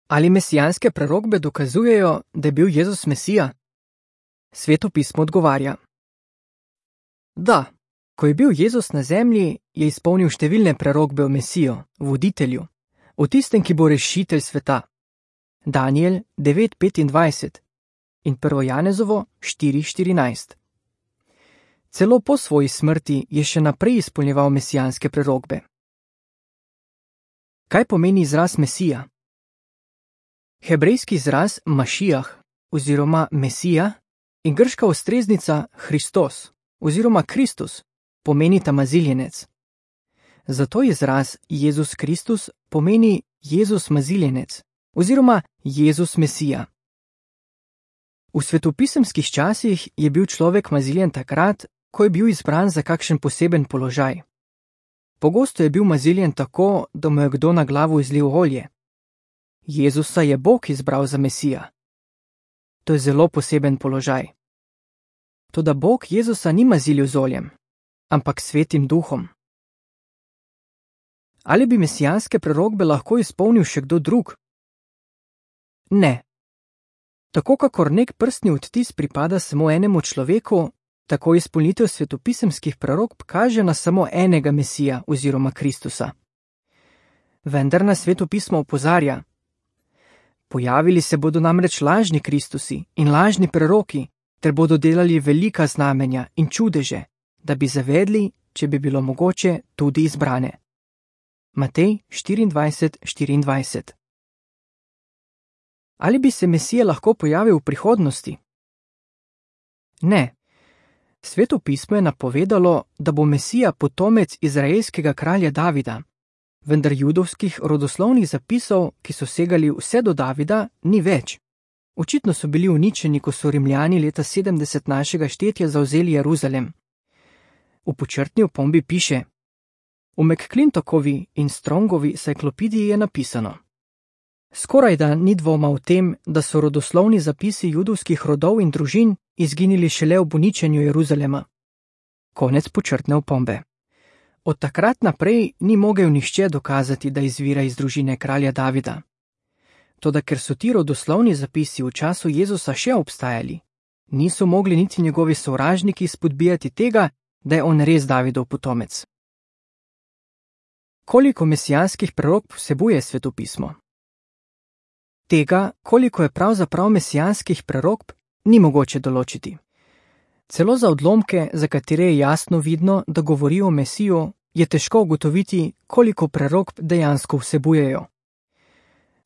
Ali mesijanske prerokbe dokazujejo, da je bil Jezus Mesija? Sveto pismo odgovarja. Da, ko je bil Jezus na zemlji, je izpolnil številne prerokbe o Mesijo, voditelju, o tistem, ki bo rešitelj sveta. Daniel 9:25 in 1. Janezovo 4:14. Celo po svoji smrti je še naprej izpolnjeval mesijanske prerokbe. Kaj pomeni izraz Mesija? Hebrejski izraz Mašijah oziroma Mesija in grška ustreznica Hristos oziroma Kristus pomenita maziljenec. Zato izraz Jezus Kristus pomeni Jezus maziljenec oziroma Jezus Mesija. V svetopisemskih časih je bil človek maziljen takrat, ko je bil izbran za kakšen poseben položaj. Pogosto je bil maziljen tako, da mu je kdo na glavo izlil olje. Jezusa je Bog izbral za Mesija. To je zelo poseben položaj. Toda Bog Jezusa ni mazilil z oljem, ampak Svetim Duhom. Ali bi mesijanske prerokbe lahko izpolnil še kdo drug? Ne. Tako kakor nek prstni odtis pripada samo enemu človeku, tako izpolnitev svetopisemskih prerokb kaže na samo enega Mesija oziroma Kristusa. Vendar nas Sveto pismo opozarja. Pojavili se bodo namreč lažni Kristusi in lažni preroki, ter bodo delali velika znamenja in čudeže, da bi zavedli, če bi bilo mogoče, tudi izbrane. Matej 24:24. Ali bi se Mesija lahko pojavil v prihodnosti? Ne. Sveto pismo je napovedalo, da bo Mesija potomec izraelskega kralja Davida, vendar judovskih rodoslovnih zapisov, ki so segali vse do Davida, ni več. Očitno so bili uničeni, ko so Rimljani leta 70 našega štetja zavzeli Jeruzalem. V počrtni opombi piše: v McClintokovi in Strongovi encyklopediji je napisano: skorajda ni dvoma o tem, da so rodoslovni zapisi judovskih rodov in družin izginili šele ob uničenju Jeruzalema. Konec počrtne opombe. Od takrat naprej ni mogel nihče dokazati, da izvira iz družine kralja Davida. Toda ker so ti rodoslovni zapisi v času Jezusa še obstajali, niso mogli niti njegovi sovražniki spodbijati tega, da je on res Davidov potomec. Koliko mesijanskih prerokb vsebuje Sveto pismo? Tega, koliko je pravzaprav mesijanskih prerokb, ni mogoče določiti. Celo za odlomke, za katere je jasno vidno, da govorijo o Mesiju, je težko ugotoviti, koliko prerokb dejansko vsebujejo.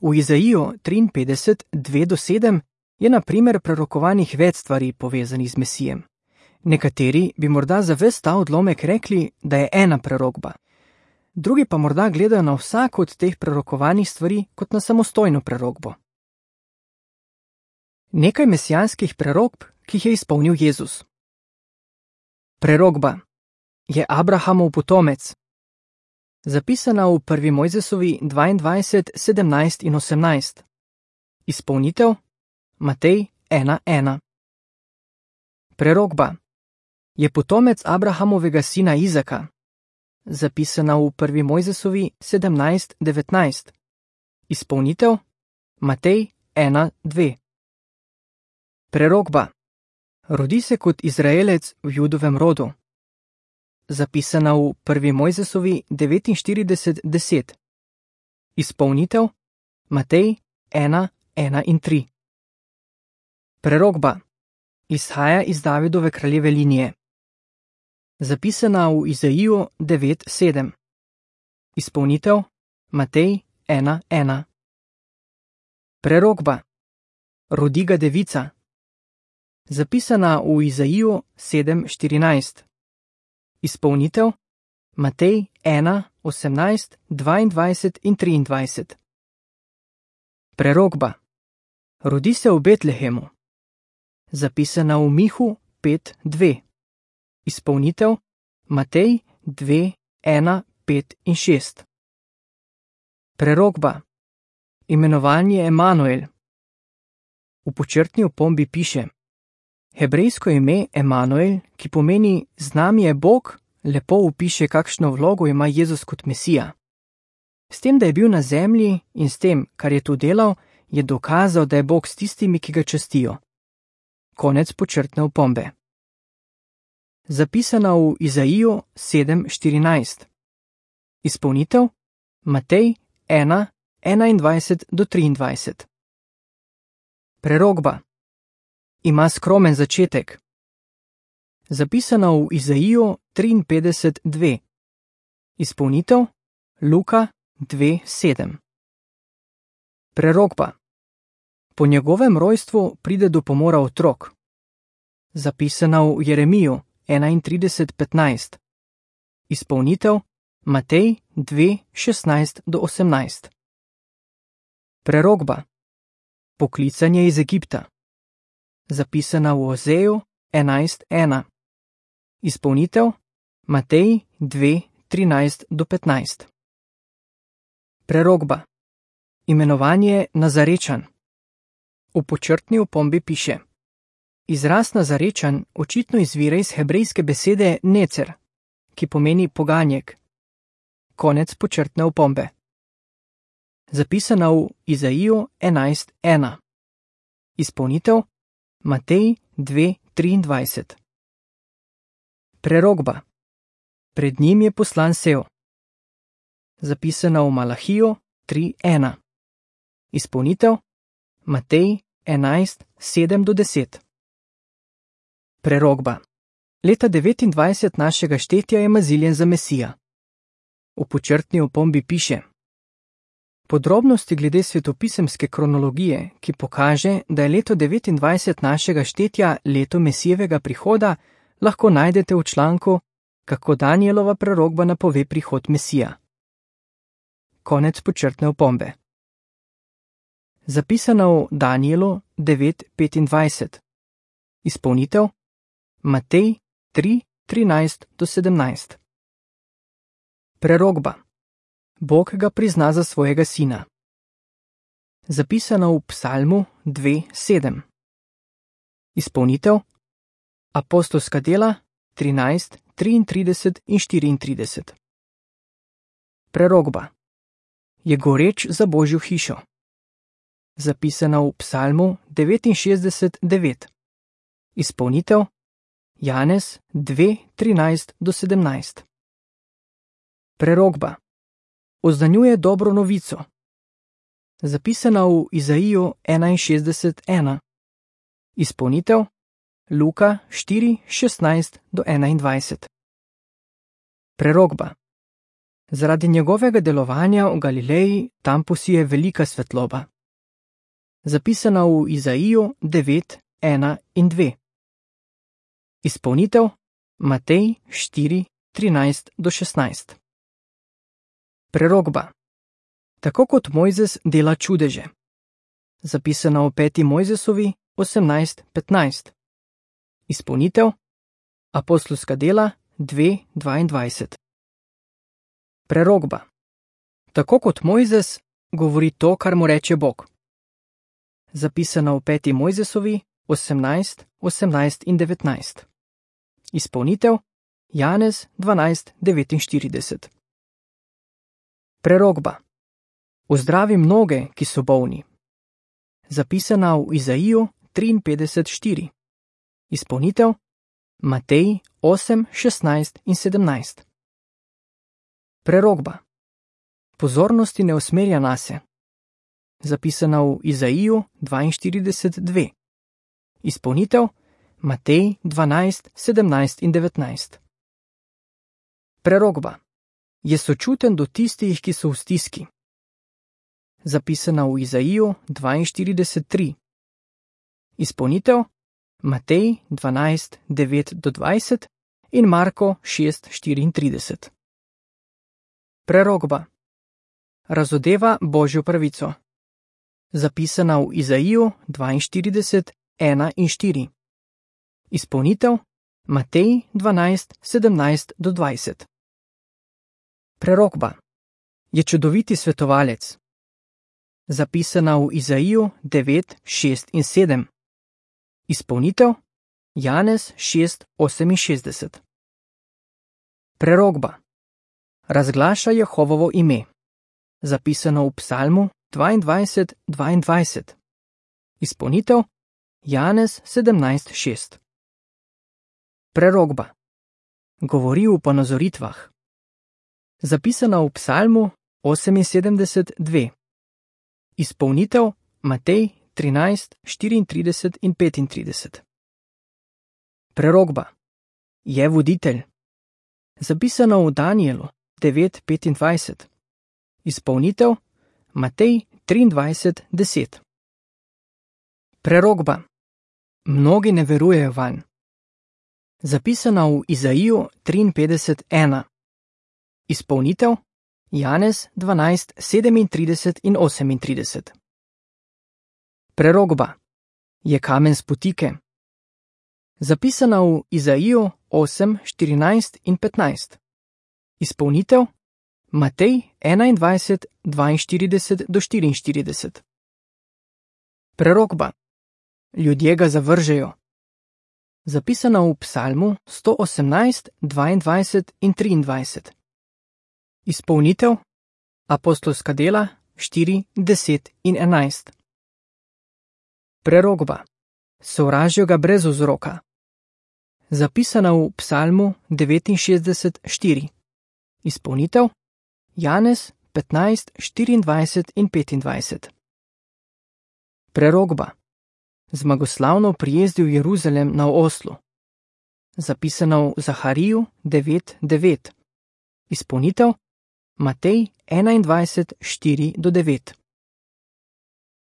V Izaiju 53:2-7 je na primer prerokovanih več stvari povezanih z Mesijem. Nekateri bi morda za ves ta odlomek rekli, da je ena prerokba. Drugi pa morda gledajo na vsako od teh prerokovanih stvari kot na samostojno prerokbo. Nekaj mesijanskih prerokb, ki jih je izpolnil Jezus. Prerokba: je Abrahamov potomec. Zapisana v 1. Mojzesovi 22:17 in 18. Izpolnitev: Matej 1:1. Prerokba: je potomec Abrahamovega sina Izaka. Zapisana v 1. Mojzesovi 17:19. Izpolnitev: Matej 1:2. Prerokba: rodi se kot Izraelec v Judovem rodu. Zapisana v 1. Mojzesovi 49:10. Izpolnitev: Matej 1:1 in 3. Prerokba: izhaja iz Davidove kraljeve linije. Zapisana v Izaiju 9:7. Izpolnitev: Matej 1:1. Prerokba: rodi ga devica. Zapisana v Izaiju 7:14. Izpolnitev: Matej 1:18, 22 in 23. Prerokba: rodi se v Betlehemu. Zapisana v Mihu 5:2. Izpolnitev: Matej 2:1, 5 in 6. Prerokba: imenovanje Emanuel. V počrtni opombi piše: hebrejsko ime Emanuel, ki pomeni z nami je Bog, lepo opiše, kakšno vlogo ima Jezus kot Mesija. S tem, da je bil na zemlji in s tem, kar je tu delal, je dokazal, da je Bog s tistimi, ki ga častijo. Konec počrtne opombe. Zapisana v Izaiju 7:14. Izpolnitev Matej 1:21-23. Prerokba. Ima skromen začetek. Zapisana v Izaiju 53:2. Izpolnitev Luka 2:7. Prerokba. Po njegovem rojstvu pride do pomora otrok. Zapisana v Jeremiju 31:15. Izpolnitev Matej 2:16-18. Prerokba. Poklicanje iz Egipta. Zapisana v Ozeju 11:1. Izpolnitev Matej 2:13-15. Prerokba. Imenovanje Nazarečan. V počrtni opombi piše: Izraz Nazarečan očitno izvira iz hebrejske besede necer, ki pomeni poganjek. Konec počrtne opombe. Zapisana v Izaiju 11:1. Izpolnitev Matej 2:23. Prerokba. Pred njim je poslan sev. Zapisana v Malahiju 3:1. Izpolnitev Matej 11:7-10. Prerokba. Leta 29 našega štetja je maziljen za Mesija. V počrtni opombi piše: Podrobnosti glede svetopisemske kronologije, ki pokaže, da je leto 29 našega štetja leto Mesijevega prihoda, lahko najdete v članku Kako Danielova prerokba napove prihod Mesija. Konec počrtne opombe. Zapisana v Danielu 9:25. Izpolnitev Matej 3:13-17. Prerokba. Bog ga prizna za svojega sina. Zapisana v Psalmu 2:7. Izpolnitev Apostolska dela 13:33-34. Prerokba. Je goreč za Božjo hišo. Zapisana v Psalmu 69:9. Izpolnitev Janez 2:13-17. Prerokba. Oznanjuje dobro novico. Zapisana v Izaiju 61:1. Izpolnitev Luka 4:16-21. Prerokba. Zaradi njegovega delovanja v Galileji tam posije velika svetloba. Zapisana v Izaiju 9:1 in 2. Izpolnitev Matej 4:13-16. Prerokba. Tako kot Mojzes dela čudeže. Zapisana v 5. Mojzesovi 18:15. Izpolnitev Apostolska dela 2:22. Prerokba. Tako kot Mojzes govori to, kar mu reče Bog. Zapisana v 5. Mojzesovi 18:18 in 19. Izpolnitev Janez 12:49. Prerokba. Ozdravi mnoge, ki so bolni. Zapisana v Izaiju 53:4. Izpolnitev Matej 8:16 in 17. Prerokba. Pozornosti ne usmerja nase. Zapisana v Izaiju 42:2. Izpolnitev Matej 12:17 in 19. Prerokba. Je sočuten do tistih, ki so v stiski. Zapisana v Izaiju 42:3. Izpolnitev Matej 12:9-20 in Marko 6:34. Prerokba. Razodeva Božjo pravico. Zapisana v Izaiju 42:1 in 4. Izpolnitev Matej 12:17-20. Prerokba. Je čudoviti svetovalec. Zapisana v Izaiju 9:6 in 7. Izpolnitev Janez 6:68. Prerokba. Razglaša Jehovovo ime. Zapisano v Psalmu 22:22. Izpolnitev Janez 17:6. Prerokba. Govori v ponazoritvah. Zapisana v Psalmu 78:2. Izpolnitev Matej 13:34 in 35. Prerokba. Je voditelj. Zapisano v Danielu 9:25. Izpolnitev Matej 23:10. Prerokba. Mnogi ne verujejo vanj. Zapisana v Izaiju 53:1. Izpolnitev Janez 12:37 in 38. Prerokba. Je kamen spotike. Zapisana v Izaiju 8:14 in 15. Izpolnitev Matej 21:42-44. Prerokba. Ljudje ga zavržejo. Zapisana v Psalmu 118, 22 in 23. Izpolnitev Apostolska dela 4, 10 in 11. Prerokba. Sovražijo ga brez vzroka. Zapisana v Psalmu 69, 4. Izpolnitev Janez 15, 24 in 25. Prerokba. Zmagoslavno prijezdil Jeruzalem na oslu. Zapisano v Zahariju 9, 9. Izpolnitev Matej 21, 4-9.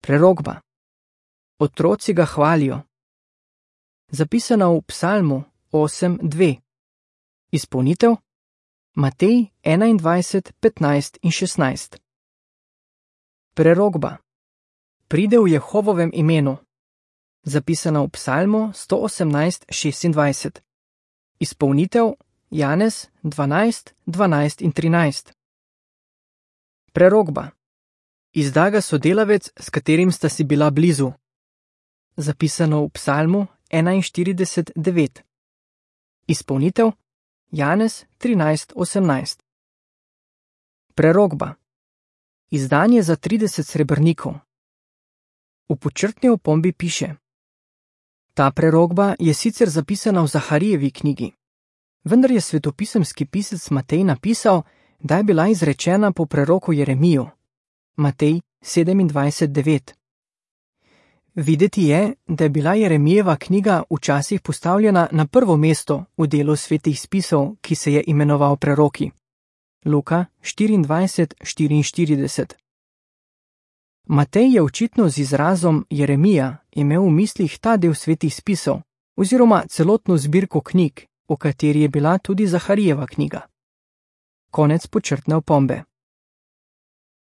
Prerokba. Otroci ga hvalijo. Zapisana v Psalmu 8, 2. Izpolnitev Matej 21, 15 in 16. Prerokba. Pride v Jehovovem imenu. Zapisana v Psalmu 118, 26. Izpolnitev Janez 12, 12 in 13. Prerokba. Izda ga sodelavec, s katerim sta si bila blizu. Zapisano v Psalmu 41, 9. Izpolnitev Janez 13, 18. Prerokba. Izdan je za 30 srebrnikov. V podčrtni opombi piše: Ta prerokba je sicer zapisana v Zaharijevi knjigi, vendar je svetopisemski pisec Matej napisal, da je bila izrečena po preroku Jeremiju. Matej 27:9. Videti je, da je bila Jeremijeva knjiga včasih postavljena na prvo mesto v delu svetih spisov, ki se je imenoval Preroki. Luka 24:44. Matej je očitno z izrazom Jeremija imel v mislih ta del svetih spisov, oziroma celotno zbirko knjig, v kateri je bila tudi Zaharijeva knjiga. Konec podčrtne opombe.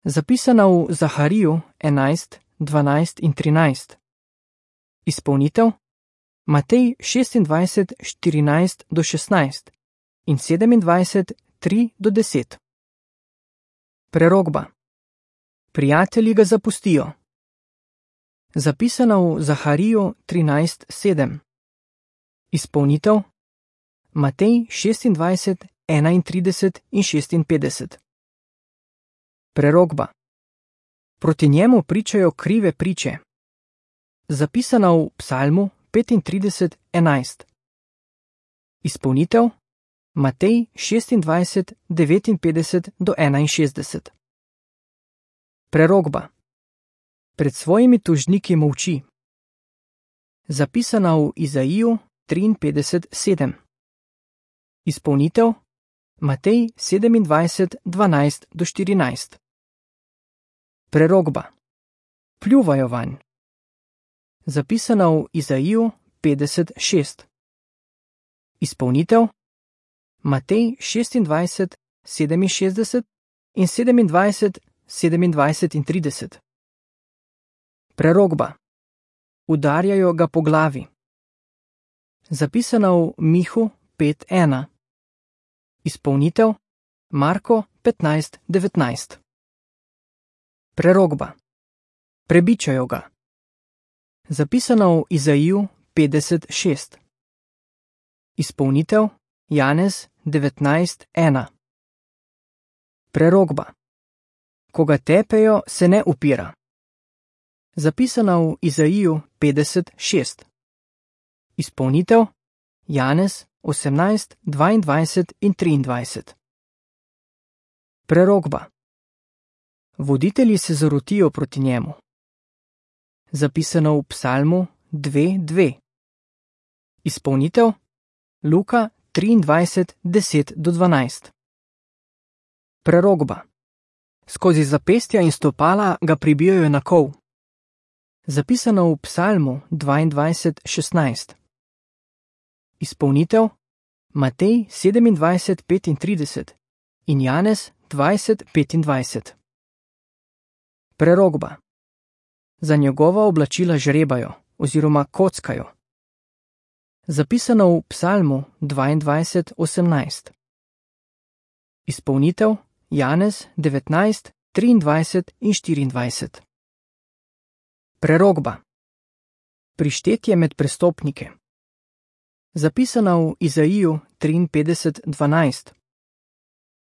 Zapisana v Zahariju 11, 12 in 13. Izpolnitev Matej 26, 14-16 in 27, 3-10. Prerokba. Prijatelji ga zapustijo. Zapisana v Zahariju 13, 7. Izpolnitev Matej 26, 31 in 56. Prerokba. Proti njemu pričajo krive priče. Zapisana v Psalmu 35, 11. Izpolnitev Matej 26, 59-61. Prerokba. Pred svojimi tožniki molči. Zapisana v Izaiju 53, 7. Izpolnitev Matej 27, 12-14. Prerokba. Pljuvajo vanj. Zapisana v Izaiju 50, 6. Izpolnitev Matej 26, 67 in 27, 27 in 30. Prerokba. Udarjajo ga po glavi. Zapisana v Mihu 5:1. Izpolnitev Marko 15:19. Prerokba. Prebičajo ga. Zapisana v Izaiju 50:6. Izpolnitev Janez 19:1. Prerokba. ko ga tepejo, se ne upira. Zapisano v Izaiju 50:6. Izpolnitev Janez 18:22 in 23. Prerokba. Voditelji se zarotijo proti njemu. Zapisano v Psalmu 2:2. Izpolnitev Luka 23:10-12. Prerokba. Skozi zapestja in stopala ga pribijajo na kol. Zapisano v Psalmu 22:16. Izpolnitev Matej 27:35 in Janez 20:25. Prerokba. Za njegova oblačila žrebajo oziroma kockajo. Zapisano v Psalmu 22:18. Izpolnitev Janez 19:23 in 24. Prerokba. Prištetje med prestopnike. Zapisano v Izaiju 53:12.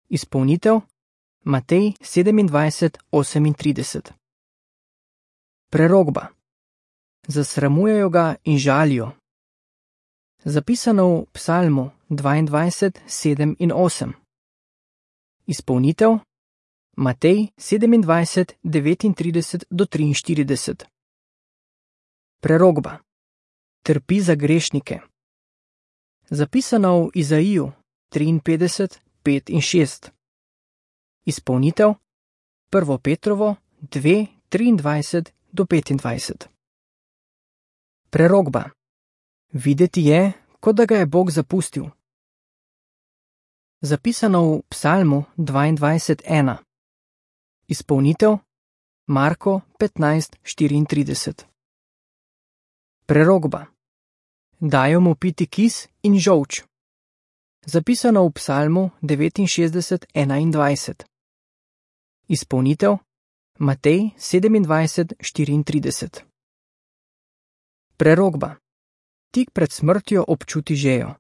Izpolnitev Matej 27:38. Prerokba. Zasramujejo ga in žalijo. Zapisano v Psalmu 22:7 in 8. Izpolnitev Matej 27:39-43. Prerokba. Trpi za grešnike. Zapisano v Izaiju 53:5 in 6. Izpolnitev 1. Petrovo 2:23-25. Prerokba. Videti je, kot da ga je Bog zapustil. Zapisano v Psalmu 22:1. Izpolnitev Marko 15:34. Prerokba. Dajo mu piti kis in žolč. Zapisano v Psalmu 69:21. Izpolnitev Matej 27:34. Prerokba. Tik pred smrtjo občuti žejo.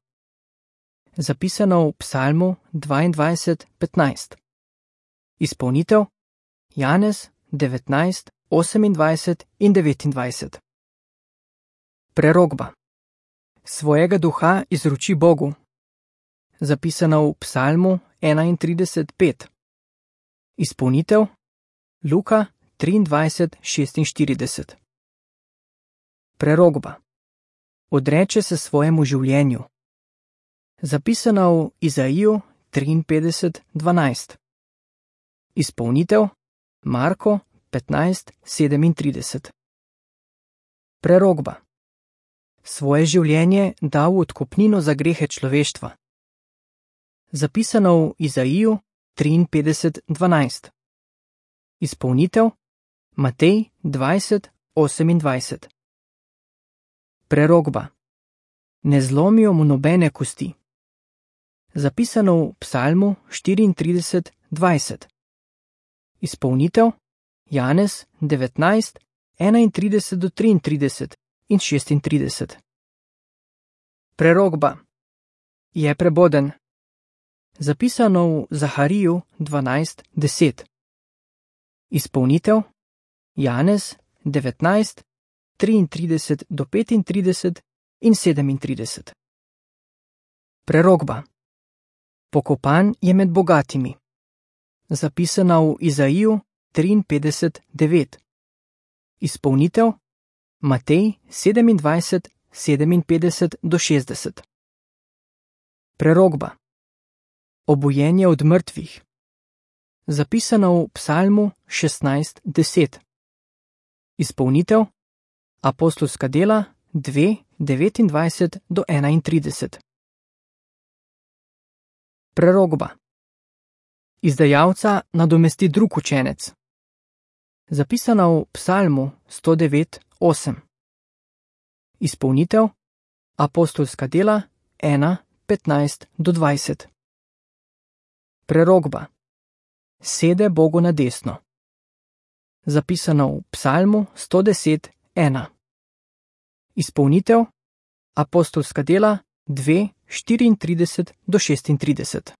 Zapisano v Psalmu 22:15. Izpolnitev Janez 19:28 in 29. Prerokba. Svojega duha izroči Bogu. Zapisano v Psalmu 31:5. Izpolnitev Luka 23:46. Prerokba. Odreče se svojemu življenju. Zapisano v Izaiju 53:12. Izpolnitev Marko 15:37. Prerokba. Svoje življenje da v odkupnino za grehe človeštva. Zapisano v Izaiju 53:12. Izpolnitev Matej 20:28. Prerokba. Ne zlomijo mu nobene kosti. Zapisano v Psalmu 34:20. Izpolnitev Janez 19:31-33 in 36. Prerokba. Je preboden. Zapisano v Zahariju 12:10. Izpolnitev Janez 19:33-35 in 37. Prerokba. Pokopan je med bogatimi. Zapisana v Izaiju 53:9. Izpolnitev Matej 27:57-60. Prerokba. Obujenje od mrtvih. Zapisano v Psalmu 16:10. Izpolnitev Apostolska dela 2:29-31. Prerokba. Izdajalca nadomesti drug učenec. Zapisano v Psalmu 109:8. Izpolnitev Apostolska dela 1:15-20. Prerokba. Sede Bogu na desno. Zapisano v Psalmu 110:1. Izpolnitev Apostolska dela 2:34-36.